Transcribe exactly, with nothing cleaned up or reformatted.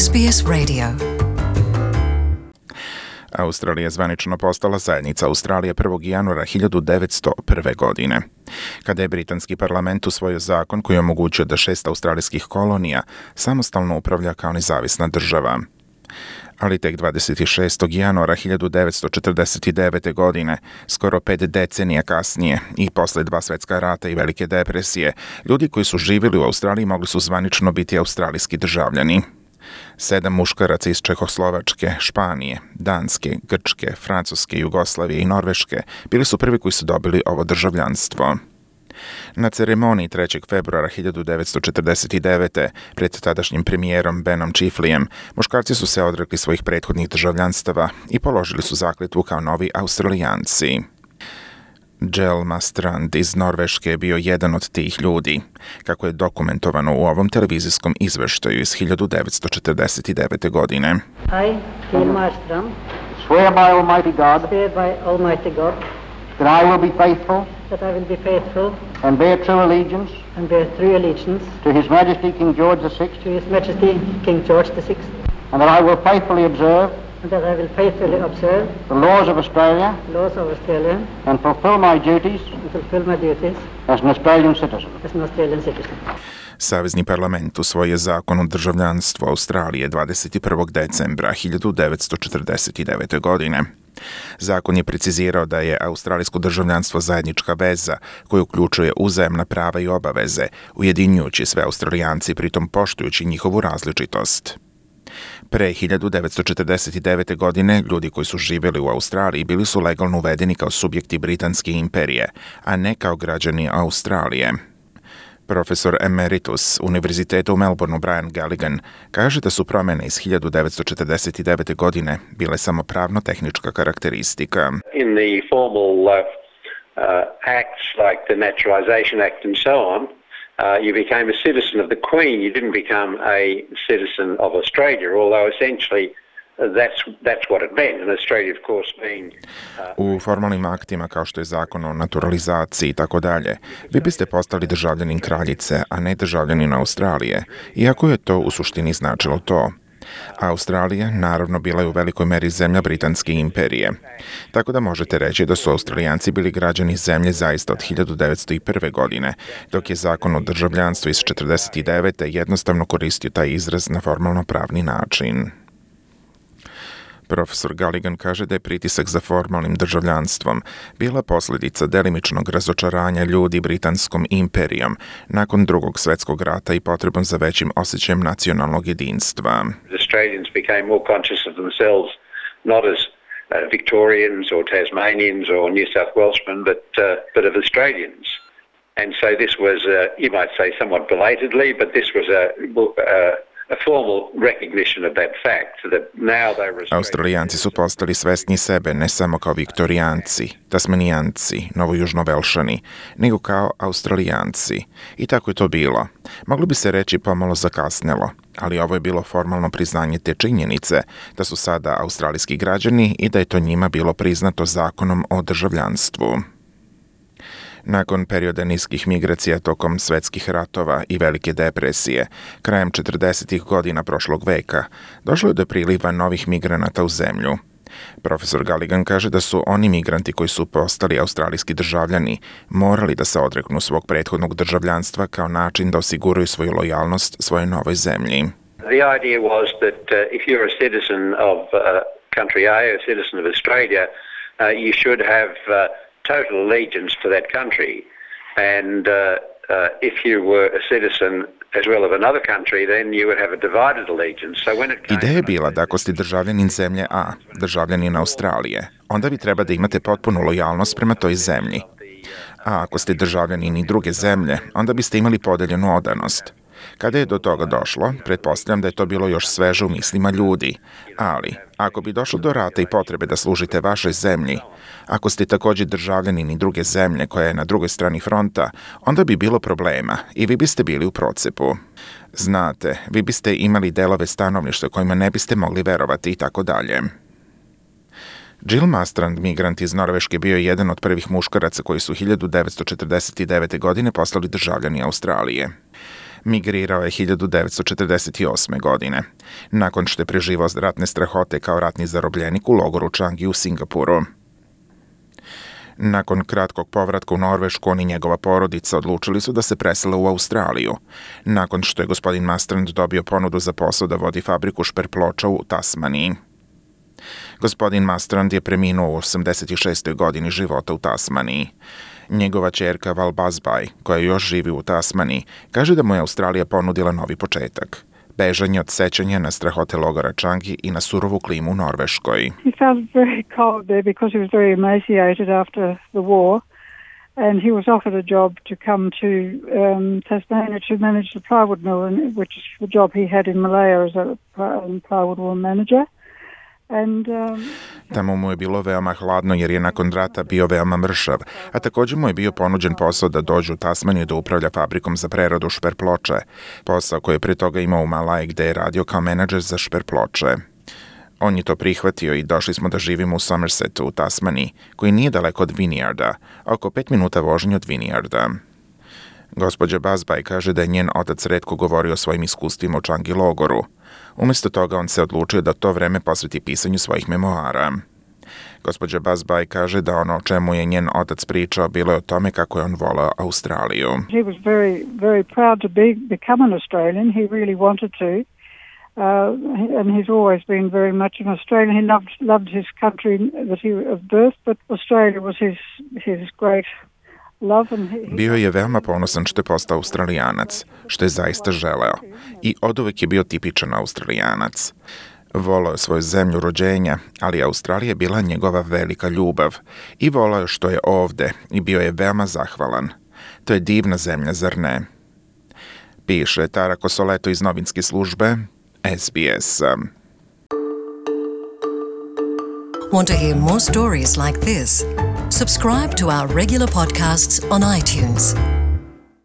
S B S Radio. Australija je zvanično postala zajednica Australije prvog januara hiljadu devetsto prve. godine. Kada je britanski parlament usvojio zakon koji omogućuje da šest australijskih kolonija samostalno upravlja kao nezavisna država. Ali tek dvadeset šestog januara hiljadu devetsto četrdeset devete. godine, skoro pet decenija kasnije i posle dva svetska rata i velike depresije, ljudi koji su živjeli u Australiji mogli su zvanično biti australijski državljani. Sedam muškaraca iz Čehoslovačke, Španije, Danske, Grčke, Francuske, Jugoslavije i Norveške bili su prvi koji su dobili ovo državljanstvo. Na ceremoniji trećeg februara hiljadu devetsto četrdeset devete. pred tadašnjim premijerom Benom Chifleyem, muškarci su se odrekli svojih prethodnih državljanstava i položili su zakletvu kao novi Australijanci. Jel Mastrand iz Norveške je bio jedan od tih ljudi, kako je dokumentovano u ovom televizijskom izveštaju iz hiljadu devetsto četrdeset devete. godine. I, Jel Mastrand, swear by Almighty God swear by Almighty God that I will be faithful that I will be faithful and bear true allegiance and bear true allegiance to His Majesty King George the Sixth, to His Majesty King George the Sixth, and that I will faithfully observe and that I will faithfully observe the laws of Australia the laws of Australia and fulfill my duties and fulfill my duties as an Australian citizen. as an Australian citizen. Savezni parlament usvojio zakon o državljanstvu Australije dvadeset prvog decembra hiljadu devetsto četrdeset devete. godine. Zakon je precizirao da je australijsko državljanstvo zajednička veza koja uključuje uzajamna prava i obaveze, ujedinjujući sve Australijanci, pritom poštujući njihovu različitost. Pre hiljadu devetsto četrdeset devete. godine ljudi koji su živjeli u Australiji bili su legalno uvedeni kao subjekti Britanske imperije, a ne kao građani Australije. Profesor emeritus Univerziteta u Melbourneu Brian Galligan kaže da su promjene iz hiljadu devetsto četrdeset devete. godine bile samo pravno-tehnička karakteristika. In the formal uh, uh, acts like the Naturalisation Act and so on, uh, you became a citizen of the Queen. You didn't become a citizen of Australia, although essentially That's, that's what it meant. And Australia, of course, being, uh... U formalnim aktima kao što je zakon o naturalizaciji i tako dalje, vi biste postali državljanin kraljice, a ne državljanin Australije, iako je to u suštini značilo to. Australija, naravno, bila je u velikoj meri zemlja Britanske imperije. Tako da možete reći da su Australijanci bili građani zemlje zaista od hiljadu devetsto prve. godine, dok je zakon o državljanstvu iz četrdeset devete. jednostavno koristio taj izraz na formalno pravni način. Profesor Galligan kaže da je pritisak za formalnim državljanstvom bila posljedica delimičnog razočaranja ljudi Britanskom imperijom nakon drugog svjetskog rata i potrebom za većim osjećajem nacionalnog jedinstva. Australians became more conscious of themselves, not as uh, Victorians or Tasmanians or New South Welshmen, but uh, but of Australians. And so this was, uh, you might say, somewhat belatedly, but this was a uh, Australijanci su postali svesni sebe ne samo kao Viktorijanci, Tasmanijanci, Novojužnovelšani, nego kao Australijanci. I tako je to bilo. Moglo bi se reći pomalo zakasnelo, ali ovo je bilo formalno priznanje te činjenice da su sada australijski građani i da je to njima bilo priznato zakonom o državljanstvu. Nakon perioda niskih migracija tokom svetskih ratova i velike depresije, krajem četrdesetih godina prošlog veka, došlo je do priliva novih migranata u zemlju. Profesor Galligan kaže da su oni migranti koji su postali australijski državljani morali da se odreknu svog prethodnog državljanstva kao način da osiguraju svoju lojalnost svojoj novoj zemlji. The idea was that uh, if you're a citizen of uh, country A, a citizen of Australia, uh, you should have uh, total allegiance to that country, and uh, uh, if you were a citizen as well of another country, then you would have a divided allegiance. So when it came Ideja je bila da ako ste državljanin zemlje A, državljanin Australije, onda vi treba da imate potpunu lojalnost prema toj zemlji. A ako ste državljanin i druge zemlje, onda biste imali podeljenu odanost. Kada je do toga došlo, pretpostavljam da je to bilo još sveže u mislima ljudi, ali ako bi došlo do rata i potrebe da služite vašoj zemlji, ako ste također državljanin i druge zemlje koja je na drugoj strani fronta, onda bi bilo problema i vi biste bili u procepu. Znate, vi biste imali delove stanovništva kojima ne biste mogli verovati i tako dalje. Jel Mastrand, migrant iz Norveške, bio je jedan od prvih muškaraca koji su hiljadu devetsto četrdeset devete. godine postali državljani Australije. Migrirao je hiljadu devetsto četrdeset osme. godine, nakon što je preživao ratne strahote kao ratni zarobljenik u logoru Changi u Singapuru. Nakon kratkog povratka u Norvešku, on i njegova porodica odlučili su da se presele u Australiju, nakon što je gospodin Marstrand dobio ponudu za posao da vodi fabriku šperploča u Tasmaniji. Gospodin Marstrand je preminuo u osamdeset šestoj. godini života u Tasmaniji. Njegova ćerka Val Bazbaj, koja još živi u Tasmaniji, kaže da mu je Australija ponudila novi početak. Bežanje od sećanja na strahote logora Changi i na surovu klimu u Norveškoj. He felt very cold there because he was very emaciated after the war, and he was offered a job to come to um, Tasmania to manage the plywood mill, which is the job he had in Malaya as a plywood mill manager. And, um, Tamo mu je bilo veoma hladno jer je nakon rata bio veoma mršav, a također mu je bio ponuđen posao da dođe u Tasmaniju da upravlja fabrikom za preradu šperploče, posao koji je pre toga imao u Malaji gde je radio kao menadžer za šperploče. On je to prihvatio i došli smo da živimo u Somersetu u Tasmaniji, koji nije daleko od Vineyarda, oko pet minuta vožnje od Vineyarda. Gospođa Bazbaj kaže da je njen otac retko govorio o svojim iskustvima u Changi logoru. Umjesto toga on se odlučio da to vreme posveti pisanju svojih memoara. Gospođa Bazbaj kaže da ono o čemu je njen otac pričao bilo je o tome kako je on voleo Australiju. He was very, very proud to be, become an Australian. He really wanted to. Uh, and he's always been very much an Australian. He loved, loved his country that he of birth, but Australia was his, his great love. And he, he... Bio je veoma ponosan što je postao Australijanac, što je zaista želeo. I oduvek je bio tipičan Australijanac. Volao je svoju zemlju rođenja, ali Australija je bila njegova velika ljubav. I volao je što je ovde i bio je veoma zahvalan. To je divna zemlja, zar ne? Piše Tara Kosoleto iz novinske službe S B S. Want to hear more stories like this? Subscribe to our regular podcasts on iTunes.